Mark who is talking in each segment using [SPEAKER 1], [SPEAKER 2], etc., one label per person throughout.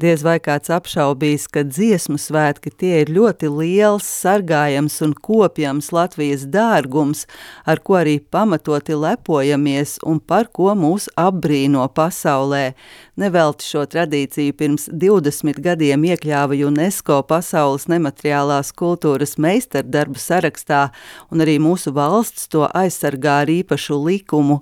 [SPEAKER 1] Diez vai kāds apšaubīs, ka dziesmu svētki tie ir ļoti liels, sargājams un kopjams Latvijas dārgums, ar ko arī pamatoti lepojamies un par ko mūs apbrīno pasaulē. Nevelti šo tradīciju pirms 20 gadiem iekļāva UNESCO pasaules nemateriālās kultūras meistardarbu sarakstā, un arī mūsu valsts to aizsargā ar īpašu likumu.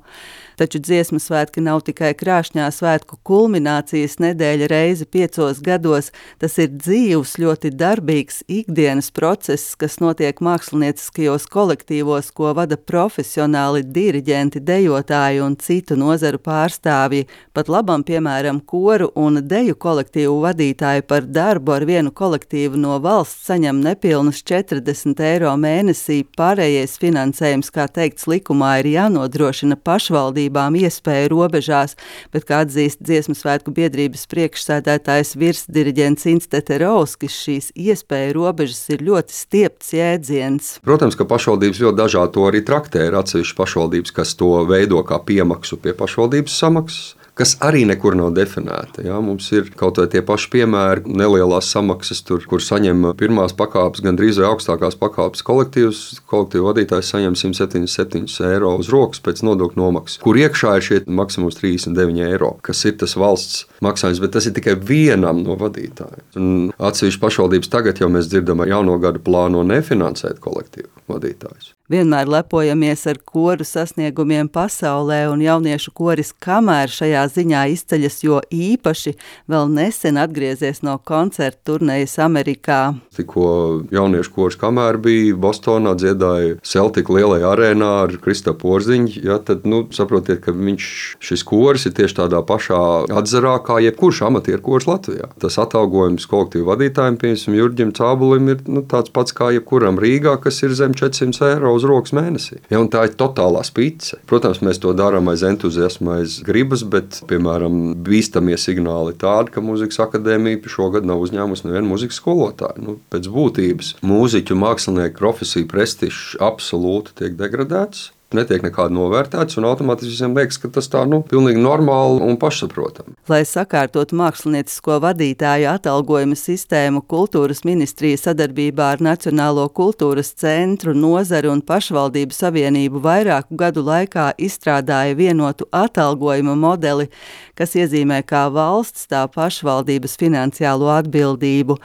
[SPEAKER 1] Taču dziesmu svētki nav tikai krāšņā svētku kulminācijas nedēļa reizi 5 gados, tas ir dzīvs, ļoti darbīgs ikdienas process, kas notiek mākslinieckajos kolektīvos, ko vada profesionāli diriģenti, dejotāji un citu nozaru pārstāvji. Pat labam, piemēram, koru un deju kolektīvu vadītāji par darbu ar vienu kolektīvu no valsts saņem nepilnus 40 eiro mēnesī, pārējais finansējums, kā teikts likumā, ir jānodrošina pašvaldībām iespēju robežās, bet, kā atzīst Dziesmu svētku biedrības priekšsēdētājs virsdiriģents Instete Rauskis, šīs iespēju robežas ir ļoti stiepts jēdziens.
[SPEAKER 2] Protams, ka pašvaldības ļoti dažādi to arī traktē. Ir atsevišķas pašvaldības, kas to veido kā piemaksu pie pašvaldības samaksas, kas arī nekur nav definēta. Ja? Mums ir kaut vai tie paši piemēri, nelielās samaksas, kur saņem pirmās pakāpes, gandrīz vai augstākās pakāpes kolektīvs. Kolektīvu vadītājs saņem 177 eiro uz rokas pēc nodokļu nomaksas, kur iekšā ir šie maksimums 39 eiro, kas ir tas valsts maksājums, bet tas ir tikai vienam no vadītājiem. Un atsevišķi pašvaldības tagad jau mēs dzirdam ar jauno gadu plāno nefinansēt kolektīvu vadītājus.
[SPEAKER 1] Vienmēr lepojamies ar koru sasniegumiem pasaulē, un jauniešu koris Kamēr šajā ziņā izceļas, jo īpaši vēl nesen atgriezies no koncerta turnejas Amerikā.
[SPEAKER 2] Tikko jauniešu koris Kamēr bija Bostonā, dziedāja Celtic lielajā arēnā ar Kristapu Porziņu, ja, tad saprotiet, ka šis koris ir tieši tādā pašā atzarā kā jebkurš amatieru koris Latvijā. Tas atalgojums kolektīvu vadītājiem, piemēram, Jurģim Cābulim, ir tāds pats kā jebkuram Rīgā, kas ir zem 400 eiro uz rokas mēnesī. Ja, un tā ir totālā spice. Protams, mēs to darām aiz entuziasma, aiz gribas, bet, piemēram, bīstamie signāli tādi, ka Mūzikas akadēmija šogad nav uzņēmusi nevienu mūzikas skolotāju. Pēc būtības mūziķu mākslinieku profesiju prestižs absolūti tiek degradēts. Netiek nekādi novērtēts, un automātiski visiem liekas, ka tas tā pilnīgi normāli un pašsaprotami.
[SPEAKER 1] Lai sakārtotu māksliniecisko vadītāju atalgojuma sistēmu, Kultūras ministrija sadarbībā ar Nacionālo kultūras centru, nozaru un pašvaldību savienību vairāku gadu laikā izstrādāja vienotu atalgojuma modeli, kas iezīmē kā valsts, tā pašvaldības finansiālo atbildību.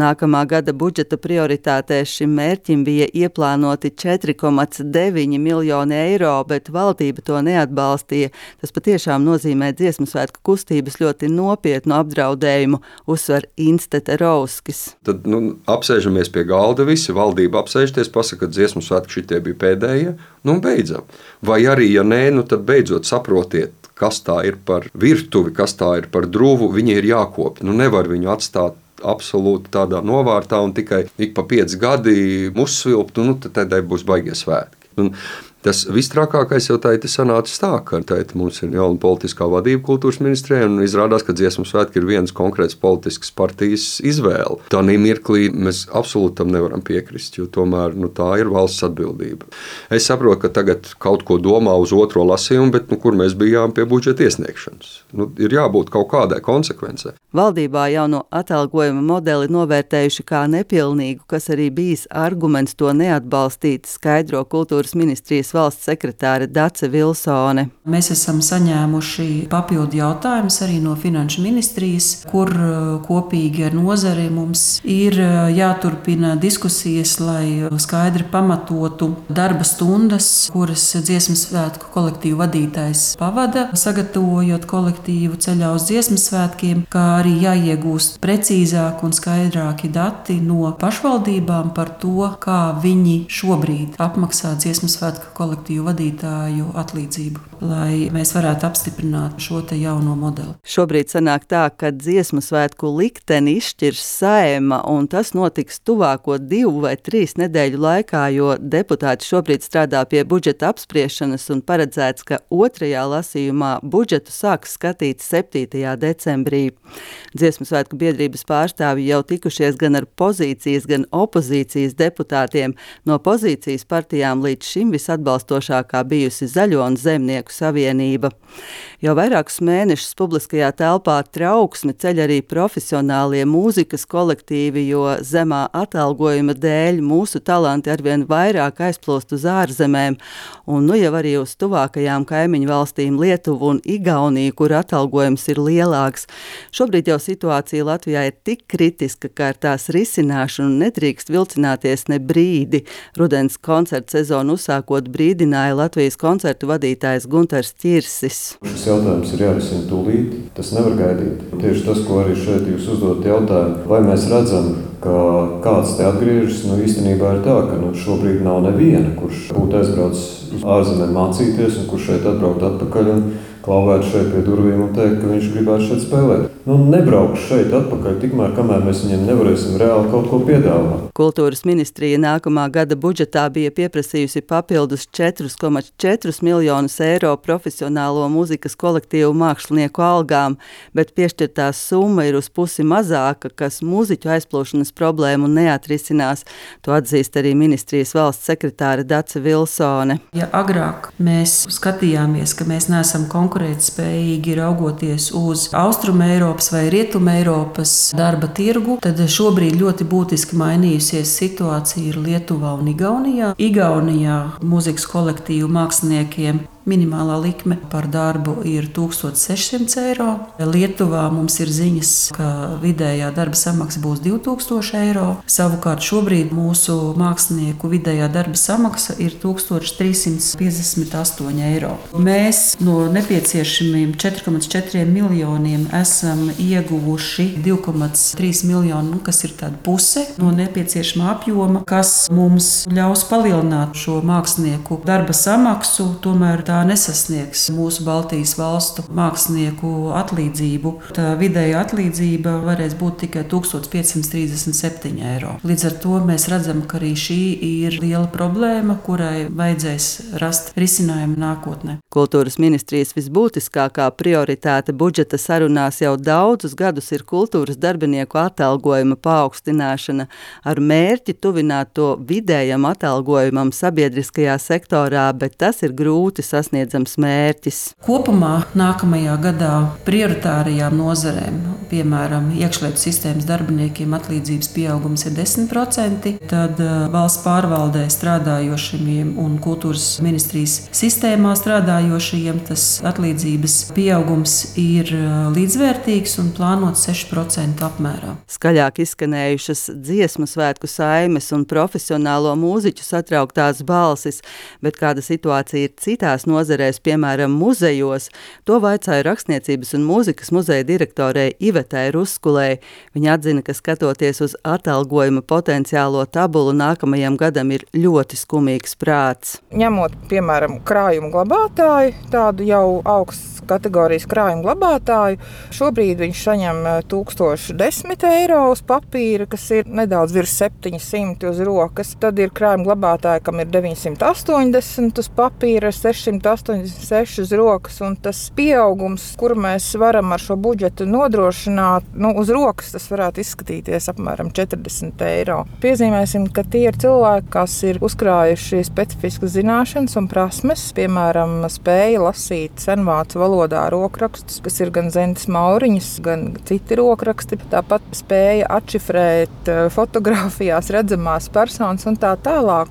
[SPEAKER 1] Nākamā gada budžeta prioritātēs šim mērķim bija ieplānoti 4,9 miljoni eiro, bet valdība to neatbalstīja. Tas patiešām nozīmē Dziesmu svētku kustības ļoti nopietnu apdraudējumu, uzsver Instete Rauskis.
[SPEAKER 2] Tad apsēžamies pie galda visi, valdība apsēžties, pasaka, ka Dziesmu svētku šitie bija pēdējie, beidzam. Vai arī, ja nē, tad beidzot saprotiet, kas tā ir par virtuvi, kas tā ir par druvu, viņi ir jākopja. Nevar viņu atstāt absolūti tādā novārtā un tikai ik pa 5 gadi uzsvilpt, tad būs baigie svētki. Tas vistrākākais jau tā ir sanācis tā, ka mums ir jauna politiskā vadība kultūras ministrijā, un izrādās, ka Dziesmu svētki ir vienas konkrētas politiskas partijas izvēle. Tādā mirklī mēs absolūti tam nevaram piekrist, jo tomēr tā ir valsts atbildība. Es saprotu, ka tagad kaut ko domā uz otro lasījumu, bet kur mēs bijām pie budžeta iesniegšanas? Ir jābūt kaut kādai konsekvencei.
[SPEAKER 1] Valdībā jauno atalgojuma modeli novērtējuši kā nepilnīgu, kas arī bijis arguments to neatbalstīt, skaidro Kultūras ministrijas valsts sekretāre Dace Vilsone.
[SPEAKER 3] Mēs esam saņēmuši papildu jautājumus arī no Finanšu ministrijas, kur kopīgi ar nozari mums ir jāturpina diskusijas, lai skaidri pamatotu darba stundas, kuras Dziesmu svētku kolektīvu vadītājs pavada, sagatavojot kolektīvu ceļā uz Dziesmu svētkiem, kā arī jāiegūst precīzāk un skaidrāki dati no pašvaldībām par to, kā viņi šobrīd apmaksā Dziesmu svētku kolektīvu vadītāju atlīdzību, lai mēs varētu apstiprināt šo te jauno modeli.
[SPEAKER 1] Šobrīd sanāk tā, ka Dziesmu svētku likteni izšķirs Saeima, un tas notiks tuvāko 2 vai 3 nedēļu laikā, jo deputāti šobrīd strādā pie budžeta apspriešanas un paredzēts, ka 2. lasījumā budžetu sāks skatīt 7. decembrī. Dziesmu svētku biedrības pārstāvji jau tikušies gan ar pozīcijas, gan opozīcijas deputātiem. No pozīcijas partijām līdz šim visatbalstītākais atbalstošākā bijusi Zaļo un Zemnieku savienība. Jau vairākus mēnešus publiskajā telpā trauksmi ceļ arī profesionālie mūzikas kolektīvi, jo zemā atalgojuma dēļ mūsu talanti arvien vairāk aizplūst uz ārzemēm, un nu jau arī uz tuvākajām kaimiņu valstīm Lietuvu un Igauniju, kur atalgojums ir lielāks. Šobrīd jau situācija Latvijā ir tik kritiska, ka ar tās risināšanu nedrīkst vilcināties ne brīdi. Rudens koncertu sezonu uzsākot brīdināja Latvijas koncertu vadītājs Guntars Ķirsis.
[SPEAKER 4] Šis jautājums ir jārisina tūlīt, tas nevar gaidīt. Tieši tas, ko arī šeit jūs uzdot jautājumu, vai mēs redzam, ka kāds te atgriežas, īstenībā ir tā, ka šobrīd nav neviena, kurš būtu aizbraucis uz ārzemēm mācīties un kurš šeit atbraukt atpakaļ un klauvēt šeit pie durvīm un teikt, ka viņš gribētu šeit spēlēt. Nebraukšu šeit atpakaļ, tikmēr, kamēr mēs viņiem nevarēsim reāli kaut ko piedāvāt.
[SPEAKER 1] Kultūras ministrija nākamā gada budžetā bija pieprasījusi papildus 4,4 miljonus eiro profesionālo mūzikas kolektīvu mākslinieku algām, bet piešķirtā summa ir uz pusi mazāka, kas mūziķu aizplūšanas problēmu neatrisinās. To atzīst arī ministrijas valsts sekretāre Dace Vilsone.
[SPEAKER 3] Ja agrāk mēs skatījāmies, ka mēs neesam konkurētspējīgi raugoties uz Austruma Eiropas vai Rietuma Eiropas darba tirgu, tad šobrīd ļoti būtiski mainījusies situācija ir Lietuvā un Igaunijā. Igaunijā mūzikas kolektīvu māksliniekiem minimālā likme par darbu ir 1600 eiro. Lietuvā mums ir ziņas, ka vidējā darba samaksa būs 2000 eiro. Savukārt šobrīd mūsu mākslinieku vidējā darba samaksa ir 1358 eiro. Mēs no nepieciešamiem 4,4 miljoniem esam ieguvuši 2,3 miljonu, kas ir tāda puse no nepieciešamā apjoma, kas mums ļaus palielināt šo mākslinieku darba samaksu, tomēr tā nesasniegs mūsu Baltijas valstu mākslinieku atlīdzību. Tā vidēja atlīdzība varēs būt tikai 1537 eiro. Līdz ar to mēs redzam, ka arī šī ir liela problēma, kurai vajadzēs rast risinājumu nākotnē.
[SPEAKER 1] Kultūras ministrijas visbūtiskākā prioritāte budžeta sarunās jau daudzus gadus ir kultūras darbinieku atalgojuma paaugstināšana ar mērķi tuvināt to vidējam atalgojumam sabiedriskajā sektorā, bet tas ir grūti sasniedzams mērķis.
[SPEAKER 3] Kopumā nākamajā gadā prioritārajām nozarēm, piemēram, iekšlietu sistēmas darbiniekiem atlīdzības pieaugums ir 10%, tad valsts pārvaldē strādājošiem un kultūras ministrijas sistēmā strādājošiem tas atlīdzības pieaugums ir līdzvērtīgs un plānots 6% apmērā.
[SPEAKER 1] Skaļāk izskanējušas dziesmu svētku saimes un profesionālo mūziķu satrauktās balsis, bet kāda situācija ir citās nozarēs, piemēram, muzejos, to vaicāja Rakstniecības un mūzikas muzeja direktorei Ivetai Ruskulei. Viņa atzina, ka skatoties uz atalgojuma potenciālo tabulu nākamajam gadam ir ļoti skumīgs prāts.
[SPEAKER 5] Ņemot, piemēram, krājumu glabātāju, tādu jau augsts kategorijas krājuma glabātāju, šobrīd viņš saņem 1010 eiro uz papīra, kas ir nedaudz virs 700 uz rokas. Tad ir krājuma glabātāji, kam ir 980 uz papīra, 686 uz rokas, un tas pieaugums, kuru mēs varam ar šo budžetu nodrošināt, uz rokas tas varētu izskatīties apmēram 40 eiro. Piezīmēsim, ka tie ir cilvēki, kas ir uzkrājuši specifiskas zināšanas un prasmes, piemēram, spēja lasīt senvācu valodā rokrakstus, kas ir gan Zentas Mauriņas, gan citi rokraksti. Tāpat spēja atšifrēt fotogrāfijās redzamās personas un tā tālāk.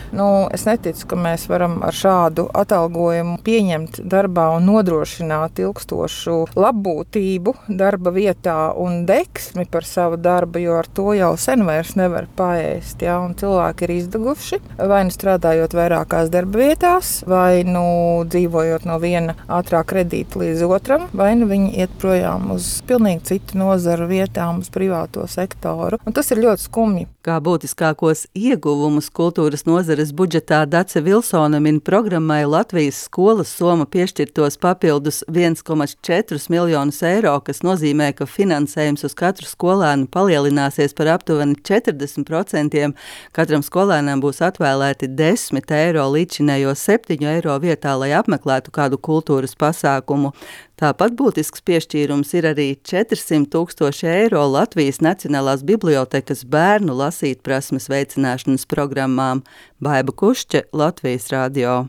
[SPEAKER 5] Es neticu, ka mēs varam ar šādu atalgojumu pieņemt darbā un nodrošināt ilgstošu labbūtību darba vietā un deksmi par savu darbu, jo ar to jau sen vairs nevar paēst. Ja? Un cilvēki ir izdeguši, vai nu strādājot vairākās darba vietās, vai nu dzīvojot no viena ātrā kredīta līdz otram, vai nu viņi iet projām uz pilnīgi citu nozaru vietām, uz privāto sektoru. Un tas ir ļoti skumji.
[SPEAKER 1] Kā būtiskākos ieguvumus kultūras nozares budžetā Dace Vilsone min programmai Latvijas skolas soma piešķirtos papildus 1,4 miljonus eiro, kas nozīmē, ka finansējums uz katru skolēnu palielināsies par aptuveni 40%. Katram skolēnam būs atvēlēti 10 eiro līdzinējo 7 eiro vietā, lai apmeklētu kādu kultūras pasākumu. Tāpat būtisks piešķīrums ir arī 400 000 eiro Latvijas Nacionālās bibliotekas bērnu lasīt prasmes veicināšanas programmām. Baiba Kušķe, Latvijas radio.